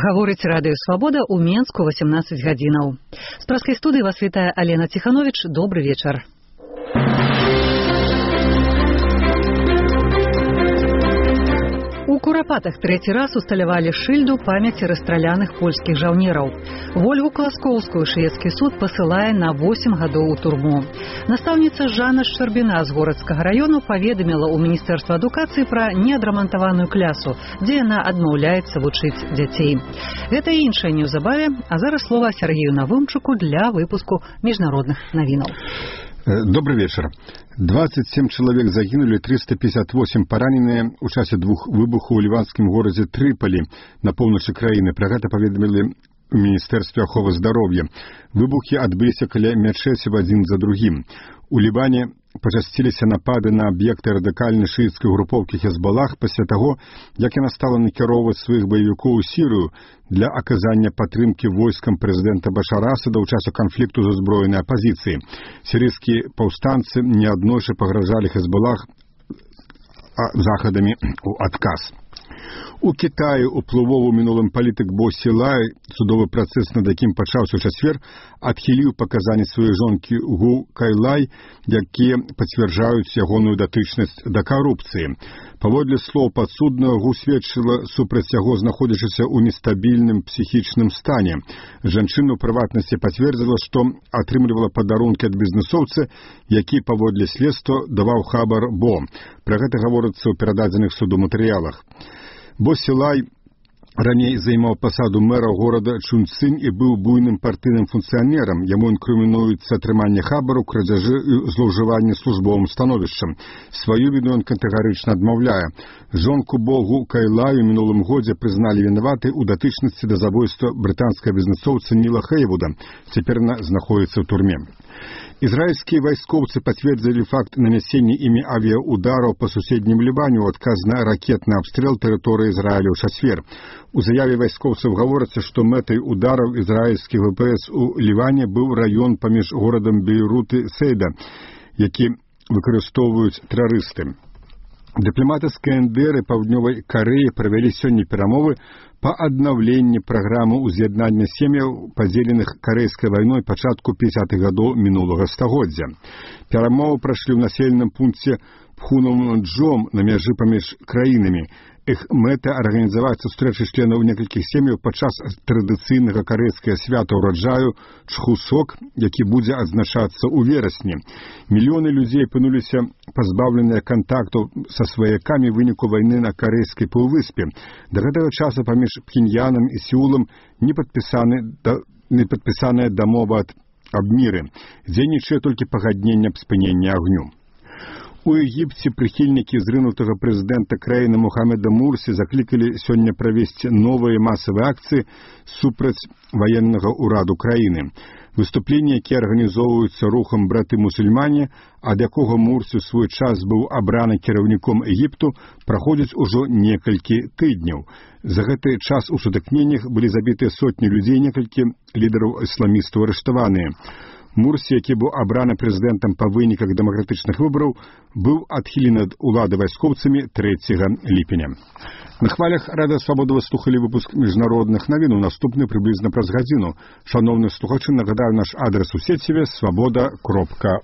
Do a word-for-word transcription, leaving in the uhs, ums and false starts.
Гаворыць радыё «Свабода» ў Менску восемнадцать гадзінаў. З праскай студыі вас вітае Алена Ціхановіч. Добры вечар. У Курапатах трэці раз усталявалі шыльду памяці расстраляных польскіх жаўнераў. Вольгу Класкоўскую шведскі суд пасылае на восем гадоў у турму. Настаўніца Жанна Шчарбіна з Горадскага раёну паведаміла ў Міністэрства адукацыі пра неадрамантаваную клясу, дзе яна адмаўляецца вучыць дзяцей. Гэта і іншае неўзабаве, а зараз слова Сергею Навумчуку для выпуску міжнародных навінаў. Добрый вечер. двадцать семь человек загинули, триста пятьдесят восемь пораненные у часе двух выбухаў у ливанскім горадзе Трыполі на поўначы краіны. Пра гэта паведамілі у Міністэрстве аховы здароўя. Выбухі адбыліся каля мячэцяў адзін за другім. У Лібане пачасціліся напады на аб'екты радыкальнай шыіцкай групоўкі Хезбалах пасля таго, як яна стала накіроўваць сваіх баевікоў у Сірыю для аказання падтрымкі войскам прэзідэнта Башара Асада ў часе канфлікту з узброенай апазіцыяй. Сірыйскія паўстанцы неаднойчы пагражалі Хезбалах захадамі ў адказ. У Китаі уплывовы мінулым палітык Бо Сілай, судовы працэс, над якім пачаўся ў чацвер, адхіліў паказанні сваёй жонкі Гу Кайлай, якія пацвярджаюць ягоную датычнасць да карупцыі. Паводле слоў падсуднага, Гу сведчыла супраць яго, знаходзячыся ў нестабільным псіхічным стане. Жанчына ў прыватнасці пацвердзіла, што атрымлівала падарункі ад бізнесоўца, які паводле следства даваў хабар Бо. Пра гэта гаворыцца ў перададзеных суду матэрыялах. Бо Сілай раней займаў пасаду мэра горада Чунцинь і быў буйным партыйным функцыянерам. Яму інкрымінуецца атрыманне хабару, крадзяжы і злоўжыванне службовым становішчам. Сваю віну ён катэгарычна адмаўляе. Жонку Богу Кайлаю мінулым годзе прызналі вінаватай у датычнасці да забойства брытанскага бізнесоўца Ніла Хейвуда. Цяпер яна знаходзіцца ў турме. Израильские вайскоўцы пацвердзілі факт нанясення імі авіаудараў па суседнім Лібане ў адказ на ракетны абстрэл тэрыторыі Ізраіля ў чацвер. У заяве вайскоўцаў гаворыцца, што мэтай удараў ізраільскіх ВПС у Ліване быў раён паміж горадам Бейрут і Сейда, які выкарыстоўваюць тэрарысты. Дыпламаты з КНДР і Паўднёвай Карэі правялі сёння перамовы па аднаўленні праграмы ўз'яднання сем'яў, падзеленых карэйскай вайной пачатку пяцідзесятых гадоў мінулага стагоддзя. Перамовы прайшлі ў населеным пункце Пхунамджом на мяжы паміж краінамі. Іх мэта арганізаваць сустрэчы членаў некалькіх сем'яў падчас традыцыйнага карэйскага свята ўраджаю Чхусок, які будзе адзначацца ў верасні. Мільёны людзей апынуліся пазбаўленыя кантактаў са сваякамі ў выніку вайны на карэйскай паўвыспе. Да гэтага часу паміж Пхеньянам і Сеулам не падпісаны да, не падпісаная дамова аб міры. Дзейнічае толькі пагадненне аб спыненні агню. У Егіпце прыхільнікі зрынутага прэзідэнта краіны Мухаммеда Мурсі заклікалі сёння правесці новыя масавыя акцыі супраць ваеннага ўраду краіны. Выступленні, якія арганізоўваюцца рухам браты-мусульмане, ад якога Мурсі ў свой час быў абраны кіраўніком Егіпту, праходзяць ужо некалькі тыдняў. За гэты час у сутыкненнях былі забітыя сотні людзей, некалькі лідараў ісламістаў арыштаваныя. Мурсі, які быў абраны прэзідэнтам па выніках дэмакратычных выбараў, быў адхілены ад улады вайскоўцамі трэцяга ліпеня. На хвалях радыё «Свабода» вы слухалі выпуск міжнародных навін, наступны прыблізна праз гадзіну. Шановныя слухачы, нагадаю наш адрес у сеціве свабода кропка